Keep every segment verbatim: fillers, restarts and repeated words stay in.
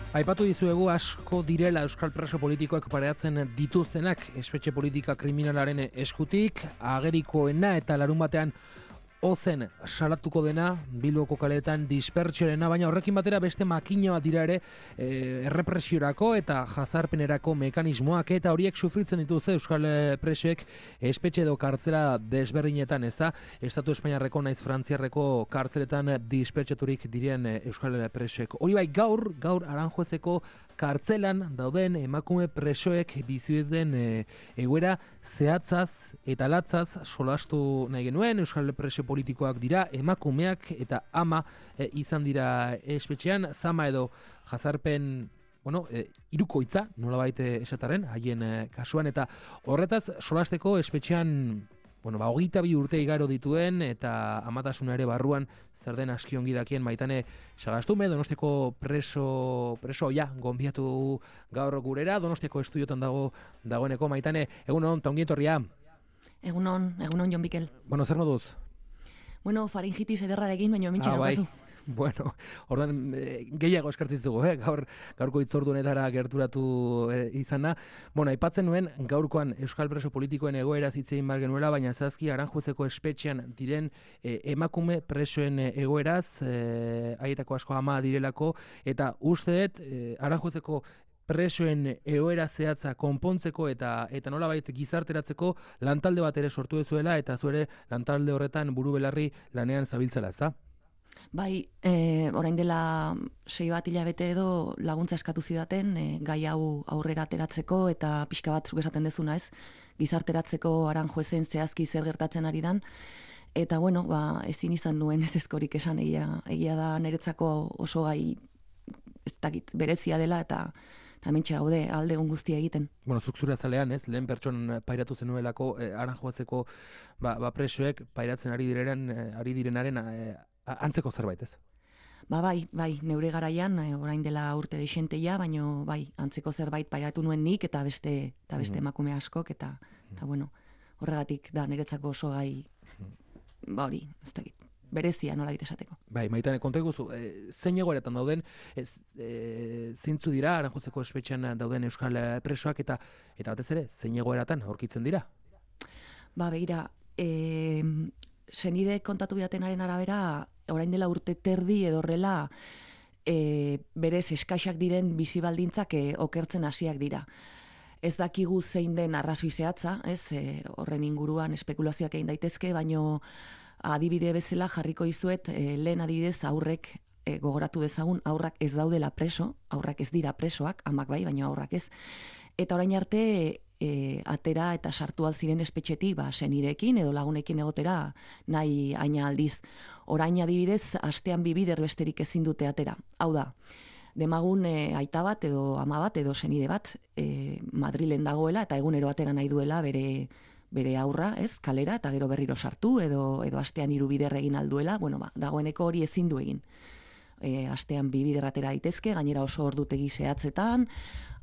Aipatu dizuegu asko direla euskal preso politikoak pareatzen dituztenak espetxe politika kriminalaren eskutik, agerikoena eta larun batean ozen salatuko dena Bilboko kaleetan dispertsiorena, baina horrekin batera beste makina bat dira ere e, errepresiorako eta jazarpenerako mekanismoak, eta horiek sufritzen dituzte euskal presoek espetxe edo kartzela desberdinetan, ez da? Estatu Espainiarreko naiz Frantziarreko kartzeletan dispertsaturik diren euskal presoek. Hori bai, gaur, gaur Aranjuezeko kartzelan dauden emakume presoek bizi duten e, egoera zehatzaz eta latzaz solastu nahi genuen. Euskal preso politikoak dira, emakumeak eta ama e, izan dira espetxean, zama edo jazarpen bueno, e, hirukoitza nolabait esataren haien e, kasuan, eta horretaz solasteko espetxean bueno, ba, hogeita bi urte igaro dituen eta amatasuna ere barruan zer den aski ongi dakien Maitane Sagastume, Donostiako preso preso ja gonbiatu gaur gurera, Donostiako estudiotan dago dagoeneko. Maitane, egunon, ta ongi etorria. Egunon, egunon Jon Mikel. Bueno, zer moduz? Bueno, faringitis ederrarekin, baina mintxe ah, daukazu. Bai. Bueno, ordan e, gehiago eskartzizugu, eh? Gaur, gaurko itzordunetara gerturatu e, izana. Bueno, aipatzen nuen gaurkoan euskal preso politikoen egoera zitzein bar genuela, baina zazki Aranjuezeko espetxean diren e, emakume presoen egoeraz, e, haietako asko ama direlako, eta uste dut e, Aranjuezeko presoen egoera zehatza konpontzeko eta eta nolabait gizarteratzeko lantalde bat ere sortu duzuela, eta zuere lantalde horretan buru belarri lanean zabiltzela, ezta? Bai, e, orain dela sei bat hilabete edo laguntza eskatu zidaten e, gai hau aurrera ateratzeko eta pixka bat zuk esaten dezuna, ez? Gizarteratzeko Aranjuezen zehazki zer gertatzen ari dan. Eta bueno, ba, ezin izan nuen ez ezkorik esan, egia, egia da niretzako oso gai ez dakit berezia dela, eta eta mentxe gaude alde egun guztia egiten. Bueno, zuk zure azalean, ez? Lehen pertson pairatu zenuelako eh, Aranjuezeko ba, ba presoek pairatzen ari direnen, eh, ari direnaren eh, antzeko zerbait, ez? Ba bai, bai, neure garaian, eh, orain dela urte deixenteia, baino bai, antzeko zerbait pairatu nuen nik eta beste eta beste mm. emakume askok, eta eta bueno, horregatik da niretzako oso gai mm. ba hori, ez dakit. Berezia nola dit esateko. Bai, Maitane, konta iguzu, e, zein egoeretan dauden, ez, e, zintzu dira Aranjuezeko espetxean dauden euskal presoak, eta eta batez ere, zein egoeratan aurkitzen dira? Ba, begira, e, senide kontatu bidatenaren arabera, orain dela urte terdi edo horrela, e, berez eskaxak diren bizi baldintzak e, okertzen hasiak dira. Ez dakigu zein den arrazoi zehatza, ez, e, horren inguruan espekulazioak egin daitezke, baino adibide bezala jarriko dizuet, e, lehen adibidez aurrek e, gogoratu dezagun, aurrak ez daudela preso, aurrak ez dira presoak, amak bai, baina aurrak ez. Eta orain arte e, atera eta sartu alziren espetxetik, ba, senideekin edo lagunekin egotera nahi aina aldiz. Orain adibidez, astean bi bider besterik ezin dute atera. Hau da, demagun e, aita bat edo ama bat edo senide bat e, Madrilen dagoela eta egunero atera nahi duela bere bere aurra, ez, kalera, eta gero berriro sartu, edo edo astean hiru bider egin alduela, bueno, ba, dagoeneko hori ezin du egin. E, astean bi bider atera daitezke, gainera oso ordutegi zehatzetan,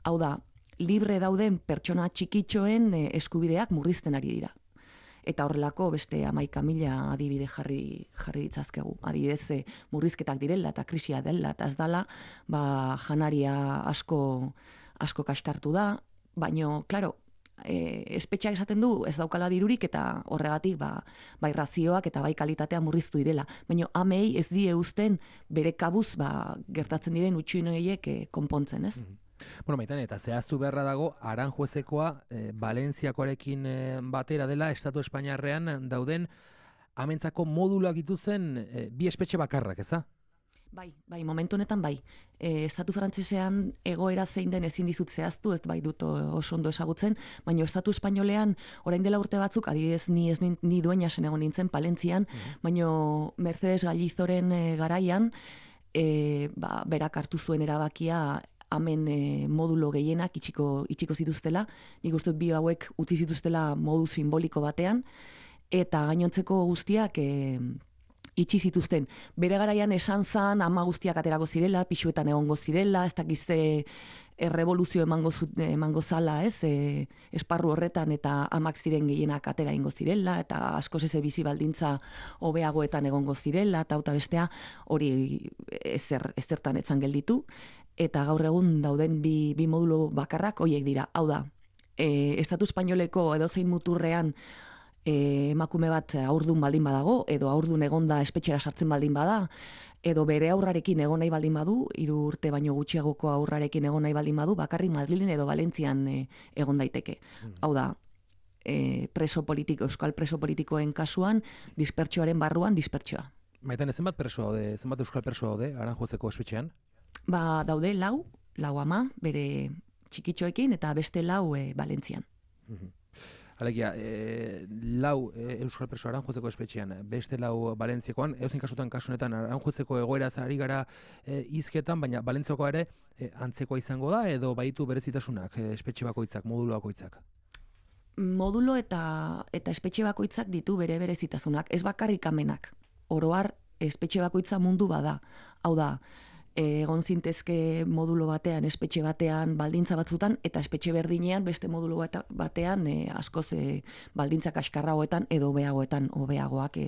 hau da, libre dauden pertsona txikitxoen e, eskubideak murrizten ari dira. Eta horrelako beste hamaika mila adibide jarri jarri ditzazkegu. Adibidez, e, murrizketak direla eta krisia dela, eta ez dala, ba, janaria asko, asko kaskartu da, baino, klaro, E, espetxeak esaten du ez daukala dirurik, eta horregatik ba, bai razioak eta bai kalitatea murriztu direla. Baina amei ez die uzten bere kabuz ba, gertatzen diren utxuinoiek e, konpontzen, ez? Mm-hmm. Bueno, Maitane, eta zehaztu beharra dago Aranjuezekoa e, Valentziakoarekin e, batera dela Estatu Espainiarrean dauden amentzako moduluak dituzen e, bi espetxe bakarrak, ez da? Bai, bai, momentu honetan bai. E, Estatu frantsesean egoera zein den ezin dizut zehaztu, ez bai dut oso ondo ezagutzen, baina Estatu espainolean orain dela urte batzuk, adibidez ni ez ni, ni dueña zen egon nintzen Palentzian, mm-hmm. baina Mercedes Gallizoren e, garaian, e, ba, berak hartu zuen erabakia hemen e, modulo gehienak itxiko, itxiko zituztela, nik uste dut bi hauek utzi zituztela modu simboliko batean, eta gainontzeko guztiak e, itxi zituzten. Bere garaian esan zan ama guztiak aterako zirela, pixuetan egongo zirela, ez dakize errevoluzio emango, emango zala, ez, e, esparru horretan, eta amak ziren gehienak atera ingo zirela, eta askoz eze bizi baldintza hobeagoetan egongo zirela, eta auta bestea hori ezer, ezertan etzan gelditu. eta gaur egun dauden bi, bi modulo bakarrak hoiek dira. Hau da, e, Estatu Espainoleko edozein muturrean e, emakume bat haurdun baldin badago, edo haurdun egonda espetxera sartzen baldin bada, edo bere aurrarekin egon nahi baldin badu, hiru urte baino gutxiagoko aurrarekin egon nahi baldin badu, bakarrik Madrilen edo Valentzian e, egon daiteke. Mm. Hau da, e, preso politiko, euskal preso politikoen kasuan, dispertsioaren barruan dispertsioa. Maiten, zenbat preso daude, zenbat euskal preso daude Aranjuezeko espetxean? Ba, daude lau, lau ama, bere txikitxoekin, eta beste lau e, Valentzian. Mm-hmm. Alegia, e, lau e, euskal preso Aranjuezeko espetxean, beste lau Valentziakoan, eozin kasutan kasunetan Aranjuezeko egoeraz ari gara e, hizketan, baina Valentziakoa ere e, antzekoa izango da, edo baitu berezitasunak, e, espetxe bakoitzak, modulo bakoitzak? Modulo eta, eta espetxe bakoitzak ditu bere berezitasunak, ez bakarrik amenak. Oroar, espetxe bakoitza mundu bada. Hau da, egon zintezke modulo batean, espetxe batean, baldintza batzutan, eta espetxe berdinean beste modulo batean e, askoz e, baldintza kaskarragoetan edo hobeagoetan hobeagoak e,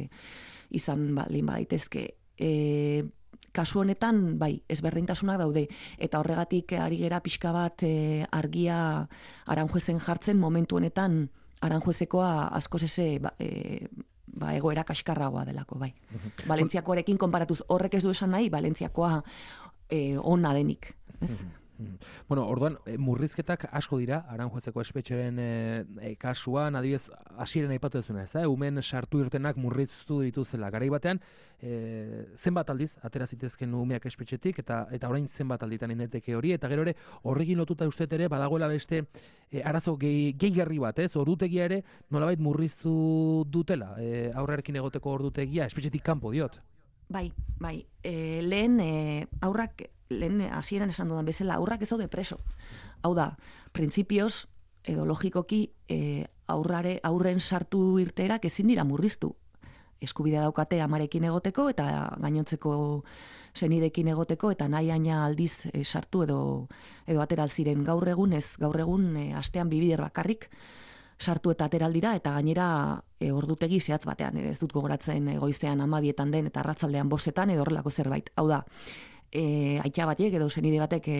izan baldin badaitezke. E, kasu honetan, bai, ezberdintasunak daude, eta horregatik ari gera pixka bat e, argia Aranjuezen jartzen momentu honetan Aranjuezekoa askoz eze ba, e, ba, egoera kaskarragoa delako, bai. Valentziakoarekin konparatuz, horrek ez du esan nahi, Valentziakoa e, ona denik, ez? Bueno, orduan, murrizketak asko dira, Aranjuezeko espetxeren e, kasuan, adibidez, hasieran aipatu duzuna, ez da? Umen sartu irtenak murriztu dituzela. Garai batean, e, zenbat aldiz, atera zitezken umeak espetxetik, eta eta orain zenbat alditan indeteke hori, eta gero ere, horrekin lotuta uste ere, badagoela beste e, arazo gehigarri bat, ez? Ordutegia ere, nolabait murriztu dutela, e, aurrarekin egoteko ordutegia, espetxetik kanpo diot. Bai, bai. E, lehen e, aurrak, lehen hasieran esan dudan bezala, aurrak ez daude preso. Hau da, printzipioz, edo logikoki, e, aurrare, aurren sartu irteerak ezin dira murriztu. Eskubidea daukate amarekin egoteko, eta gainontzeko senidekin egoteko, eta nahi aina aldiz e, sartu edo, edo ateral ziren gaur egun, ez gaur egun e, astean bibider bakarrik, sartu eta ateraldira, eta gainera e, ordutegi zehatz batean, ez dut gogoratzen goizean amabietan den, eta arratzaldean bostetan, edo horrelako zerbait. Hau da, e, aitza batek edo senide batek e,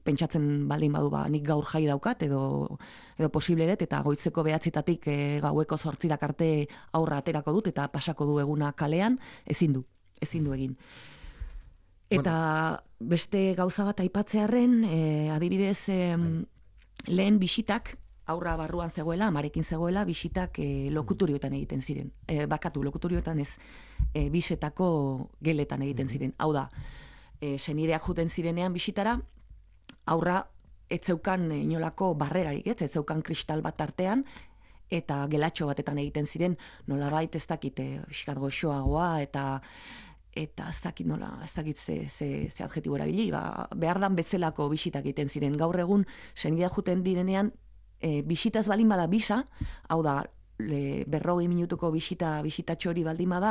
pentsatzen baldin badu, ba, nik gaur jai daukat, edo, edo posible dut, eta goizeko behatzitatik e, gaueko zortzirak arte aurra aterako dut, eta pasako du eguna kalean, ezin du, ezin du egin. Eta bueno, beste gauza bat aipatzearren, e, adibidez, e, lehen bisitak, aurra barruan zegoela, amarekin zegoela, bisitak e, lokuturioetan egiten ziren. E, bakatu, lokuturioetan ez, e, bisetako geletan egiten ziren. Hau da, e, senideak juten zirenean bisitara, aurra etzeukan inolako barrerarik, ez, etzeukan kristal bat artean, eta gelatxo batetan egiten ziren, nolabait ez dakit, e, biskat goxoagoa, eta eta ez dakit nola, ez dakit ze, ze, ze adjetibo erabili, ba, behar dan bezalako bisitak egiten ziren. Gaur egun, senideak juten direnean, E, bisitaz baldin bada bisa, hau da, le, berrogei minutuko bisita, bisitatxo hori baldin bada,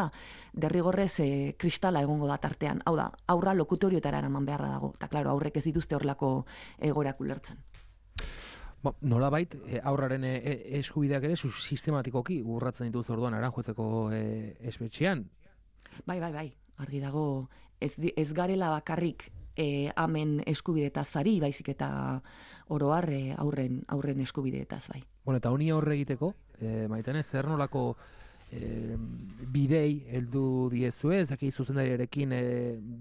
derrigorrez e, kristala egongo da tartean. Hau da, aurra lokutorioetara eraman beharra dago. Eta, klaro, aurrek ez dituzte horrelako egoerak ulertzen. Ba, nolabait, e, aurraren e, eskubideak ere, sistematikoki urratzen dituz orduan Aranjuezeko e, espetxean? Bai, bai, bai, argi dago, ez, ez garela bakarrik E, amen eskubideetaz ari, baizik eta oroar e, aurren, aurren eskubideetaz, bai. Bueno, eta honi aurre egiteko, e, maiten ez, zer nolako e, bidei heldu diezue, zaki zuzendariarekin e,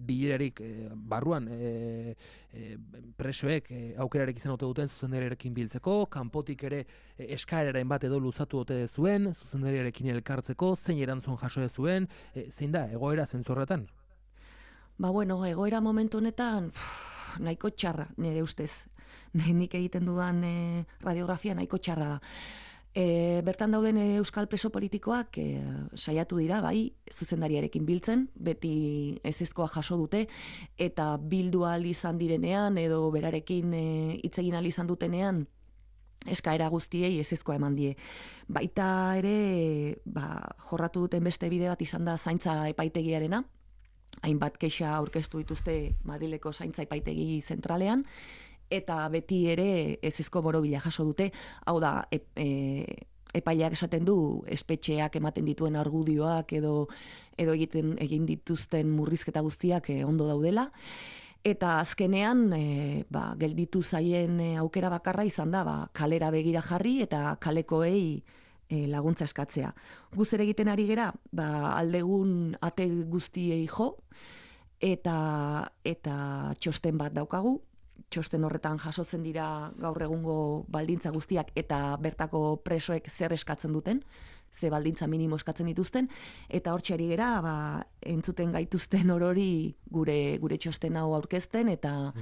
bilerarik e, barruan e, e, presoek e, aukerarekin izan ote duten zuzendariarekin biltzeko, kanpotik ere e, eskaeraren bat edo luzatu ote zuen, zuzendariarekin elkartzeko, zein erantzun jaso zuen, e, zein da, egoera zentzorretan? Ba, bueno, egoera momentu honetan pff, nahiko txarra, nire ustez. Nik egiten dudan e, radiografia nahiko txarra da. E, bertan dauden euskal preso politikoak e, saiatu dira, bai, zuzendariarekin biltzen, beti ezezkoa jaso dute, eta bildu ahal izan direnean, edo berarekin hitz egin ahal izan dutenean, eskaera guztiei ezezkoa eman die. Baita ere, ba, jorratu duten beste bide bat izan da zaintza epaitegiarena, hainbat kexa aurkeztu dituzte Madrileko zaintza epaitegi zentralean, eta beti ere ezezko borobila jaso dute, hau da, e, e, epaileak esaten du, espetxeak ematen dituen argudioak edo, edo egiten egin dituzten murrizketa guztiak e, ondo daudela, Eta azkenean, e, ba, gelditu zaien e, aukera bakarra izan da, ba, kalera begira jarri eta kalekoei e, laguntza eskatzea. Guz ere egiten ari gera, ba, aldegun ate guztiei jo, eta, eta txosten bat daukagu, txosten horretan jasotzen dira gaur egungo baldintza guztiak eta bertako presoek zer eskatzen duten, ze baldintza minimo eskatzen dituzten, eta hortxe ari gera, ba, entzuten gaituzten orori gure, gure txosten hau aurkezten, eta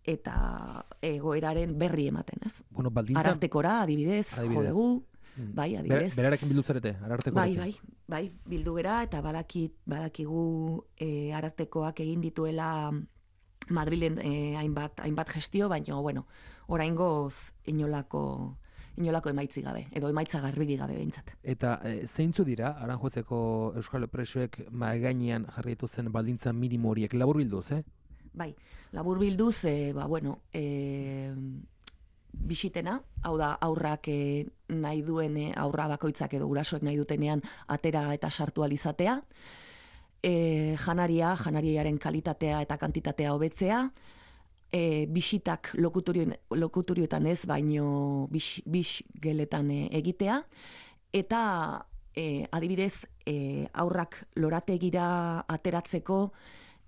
eta egoeraren berri ematen, ez? Bueno, baldintza... Arartekora, adibidez, adibidez. jo dugu, bai, adibidez. Ber, berarekin bildu zarete, ararteko. Bai, bai, bai, bildu gera, eta badakit, badakigu e, arartekoak egin dituela Madrilen e, hainbat, hainbat gestio, baina, bueno, oraingoz inolako... inolako emaitzi gabe, edo emaitza garbiri gabe behintzat. Eta e, zeintzu dira, Aranjuezeko euskal presoek mahai gainean jarri dituzten baldintza minimo horiek, labur bilduz, eh? Bai, labur bilduz, e, ba, bueno, e, bisitena, hau da, aurrak e, nahi duen, e, aurra bakoitzak edo gurasoek nahi dutenean atera eta sartu alizatea, e, janaria, janariaren kalitatea eta kantitatea hobetzea, E, bisitak lokutorioetan ez, baino bis, bis geletan e, egitea, eta e, adibidez e, aurrak lorategira ateratzeko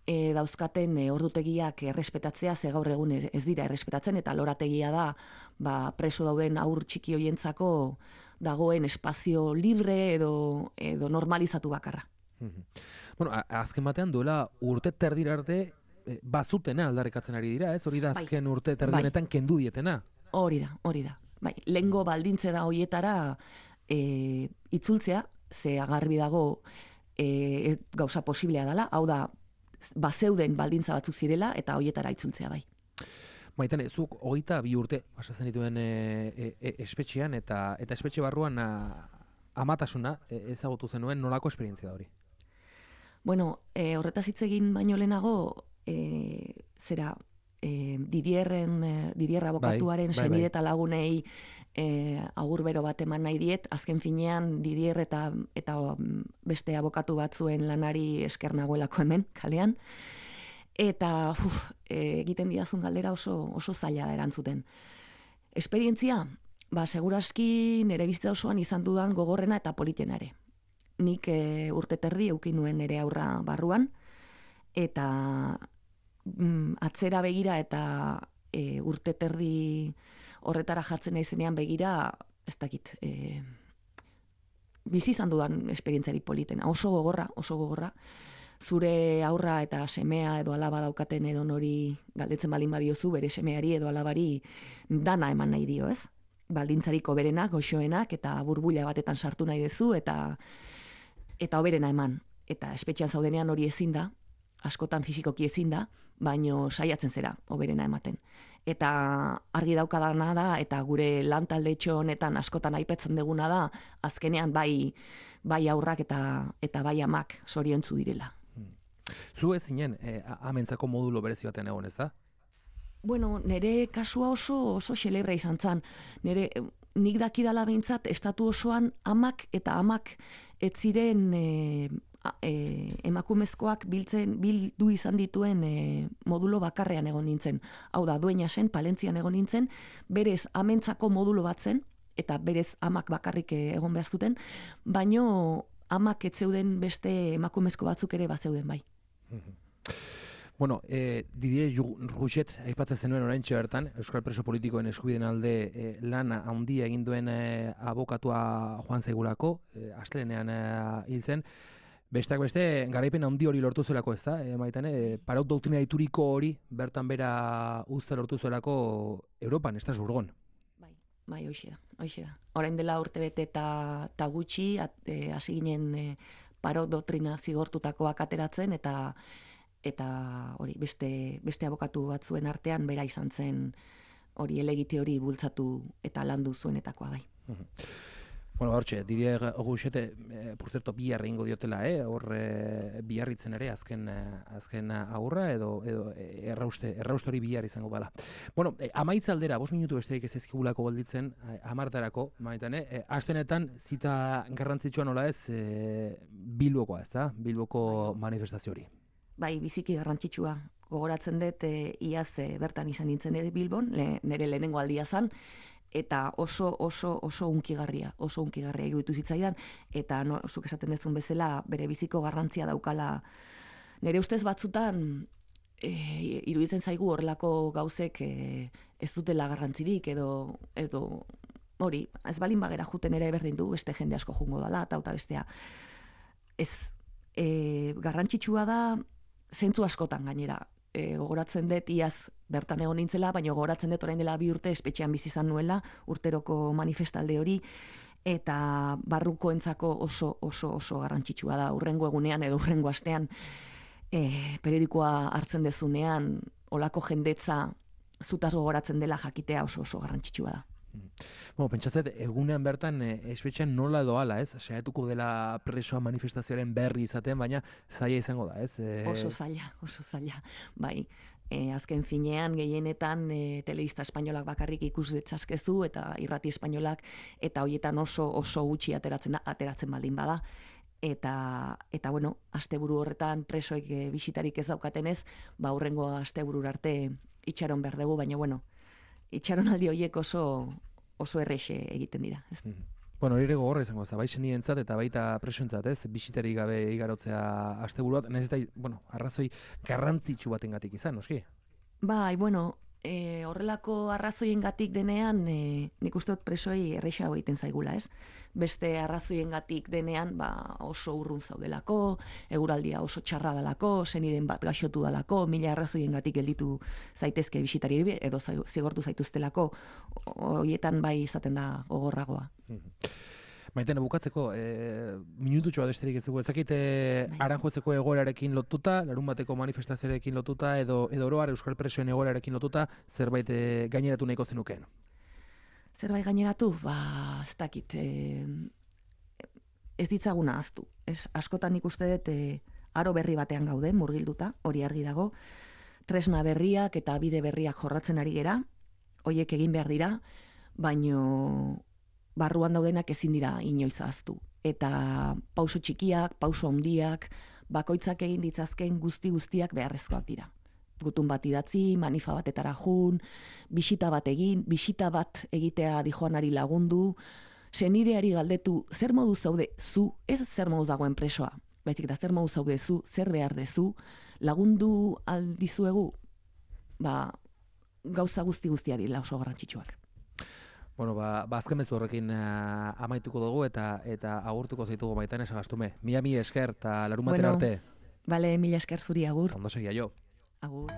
e, dauzkaten e, ordutegiak errespetatzea, ze gaur egun ez, ez dira errespetatzen, eta lorategia da ba, preso dauden aur txiki hoientzako dagoen espazio libre edo, edo normalizatu bakarra. Bueno, azken batean duela urte terdira arte bazutena aldarrikatzen ari dira, ez? Hori da azken bai, urte terdienetan bai. Kendu dietena. Hori da, hori da. Bai, lehengo baldintze da hoietara e, itzultzea, ze agarbi dago e, gauza posiblea dela, hau da, bazeuden baldintza batzuk zirela, eta hoietara itzultzea bai. Maitane, zuk hogeita bi urte pasatzen dituen e, e, e, espetxean, eta eta espetxe barruan a, amatasuna e, ezagutu zenuen, nolako esperientzia da hori? Bueno, e, horretaz hitz egin baino lehenago, E, zera e, Didierren e, Didier abokatuaren bai, bai, senide eta lagunei e, agur bero bat eman nahi diet, azken finean Didier eta, eta beste abokatu batzuen lanari esker nagoelako hemen, kalean, eta uf, e, egiten didazun galdera oso, oso zaila da erantzuten. Esperientzia, ba, seguraski nire bizitza osoan izan dudan gogorrena eta politena ere. Nik e, urte terdi eukin nuen nire aurra barruan, eta mm, atzera begira eta e, urte terdi horretara jatzen naizenean begira, ez dakit, e, bizi izan dudan esperientziari politena, oso gogorra, oso gogorra, zure aurra eta semea edo alaba daukaten edo nori galdetzen balin badiozu, bere semeari edo alabari dana eman nahi dio, ez? Baldintzarik hoberenak, goxoenak, eta burbuila batetan sartu nahi duzu, eta eta hoberena eman. Eta espetxean zaudenean hori ezin da, askotan fisikoki ezin da, baino saiatzen zera, hoberena ematen. Eta argi daukadana da, eta gure lan taldetxo honetan askotan aipatzen deguna da, azkenean bai, bai aurrak eta, eta bai amak zoriontzu direla. Zu ez zinen, eh, amentzako modulo berezi baten egon, ez da? Bueno, nire kasua oso oso xelebra izan zan. Nire, nik dakidala behintzat, estatu osoan amak eta amak ez ziren e, e, emakumezkoak biltzen, bildu izan dituen e, modulo bakarrean egon nintzen. Hau da, Dueñasen, Palentzian egon nintzen, berez amentzako modulo bat zen, eta berez amak bakarrik egon behar zuten, baino amak ez zeuden beste emakumezko batzuk ere bat zeuden bai. Bueno, eh, Didier Rouget aipatzen zenuen oraintxe bertan, euskal preso politikoen eskubideen alde eh, lana handia egin duen eh, abokatua joan zaigulako, eh, astelenean eh, hil zen. Besteak beste, garaipen handi hori lortu zuelako, ez da? E, maitan, e, paraut doktrina ituriko hori bertan bera uzta lortu zuelako Europan, ez da zurgon? Bai, bai, hoxe da, hoxe da. Orain dela urte bete eta ta gutxi, hasi ginen e, paraut doktrina zigortutakoak ateratzen, eta eta hori beste beste abokatu batzuen artean bera izan zen hori helegite hori bultzatu eta landu zuenetakoa bai. Bueno, hortxe, Didier Rouget, eh, por cierto, bihar egingo diotela, eh, hor eh, biharritzen ere azken eh, azken aurra edo edo errauste errauste hori bihar izango bala. Bueno, eh, amaitza aldera, bost minutu besterik ez ezkigulako gelditzen, eh, hamartarako, maitan, eh, astenetan zita garrantzitsua nola ez, eh, Bilbokoa, ez da? Bilboko manifestazio hori. bai, biziki garrantzitsua. Gogoratzen dut, e, iaz e, bertan izan nintzen ere Bilbon, le, nire lehenengo aldia zan, eta oso, oso, oso unkigarria, oso unkigarria iruditu zitzaidan, eta no, zuk esaten dezun bezala, bere biziko garrantzia daukala. Nire ustez batzutan, e, iruditzen zaigu horrelako gauzek e, ez dutela garrantzirik, edo, edo hori, ez balin bagera juten ere berdin du, beste jende asko jungo dala, eta eta bestea. Ez, e, garrantzitsua da, zentzu askotan gainera. E, gogoratzen dut, iaz bertan egon nintzela, baina gogoratzen dut orain dela bi urte espetxean bizi izan nuela, urteroko manifestalde hori, eta barrukoentzako oso, oso, oso garrantzitsua da, urrengo egunean edo urrengo astean, e, periodikoa hartzen dezunean, olako jendetza zutaz gogoratzen dela jakitea oso oso garrantzitsua da. Bueno, pentsatzet, egunean bertan e, espetxean nola edo ala, ez? Saiatuko dela presoa manifestazioaren berri izaten, baina zaila izango da, ez? E... Oso zaila, oso zaila. Bai, e, azken finean, gehienetan, e, telebista espainolak bakarrik ikus detzazkezu, eta irrati espainolak, eta hoietan oso oso gutxi ateratzen da, ateratzen baldin bada. Eta, eta bueno, asteburu horretan presoek e, bisitarik ez daukatenez, ba, hurrengo asteburu arte itxaron behar dugu, baina bueno, itxaronaldi horiek oso oso errexe egiten dira. Ez? Mm. Bueno, hori ere gogorra izango da, bai senientzat eta baita presoentzat, ez? Bisitarik gabe igarotzea asteburuat, nahiz eta, bueno, arrazoi garrantzitsu batengatik izan, noski? Bai, bueno, e, horrelako arrazoiengatik denean, e, nik uste dut presoi errexago egiten zaigula, ez? Beste arrazoiengatik denean, ba, oso urrun zaudelako, eguraldia oso txarra dalako, seniden bat gaixotu dalako, mila arrazoiengatik gelditu zaitezke bisitari edo zigortu zaituztelako, horietan bai izaten da gogorragoa. Maitena, bukatzeko, e, minututxoa besterik ez dugu, ezakite Aranjuezeko egoerarekin lotuta, larunbateko manifestazioarekin lotuta, edo, edo oroar Euskal Presoen egoerarekin lotuta, zerbait e, gaineratu nahiko zenukeen? Zerbait gaineratu? Ba, ez dakit, e, ez ditzaguna ahaztu. Ez, askotan ikuste dut, e, aro berri batean gauden, murgilduta, hori argi dago, tresna berriak eta bide berriak jorratzen ari gera, hoiek egin behar dira, baino barruan daudenak ezin dira inoiz ahaztu. Eta pauso txikiak, pauso handiak, bakoitzak egin ditzazken guzti guztiak beharrezkoak dira. Gutun bat idatzi, manifa batetara jun, bisita bat egin, bisita bat egitea dijoanari lagundu, senideari galdetu, zer modu zaude zu, ez zer modu dagoen presoa, baizik eta zer modu zaude zu, zer behar dezu, lagundu aldizuegu, ba, gauza guzti guztia dira oso garrantzitsuak. Bueno, ba, ba azken mezu horrekin uh, amaituko dugu eta eta agurtuko zaitugu Maitane Sagastume. Mila mila esker eta larunbatera bueno, arte. Bale, mila esker zuri agur. Ondo segia jo. Agur.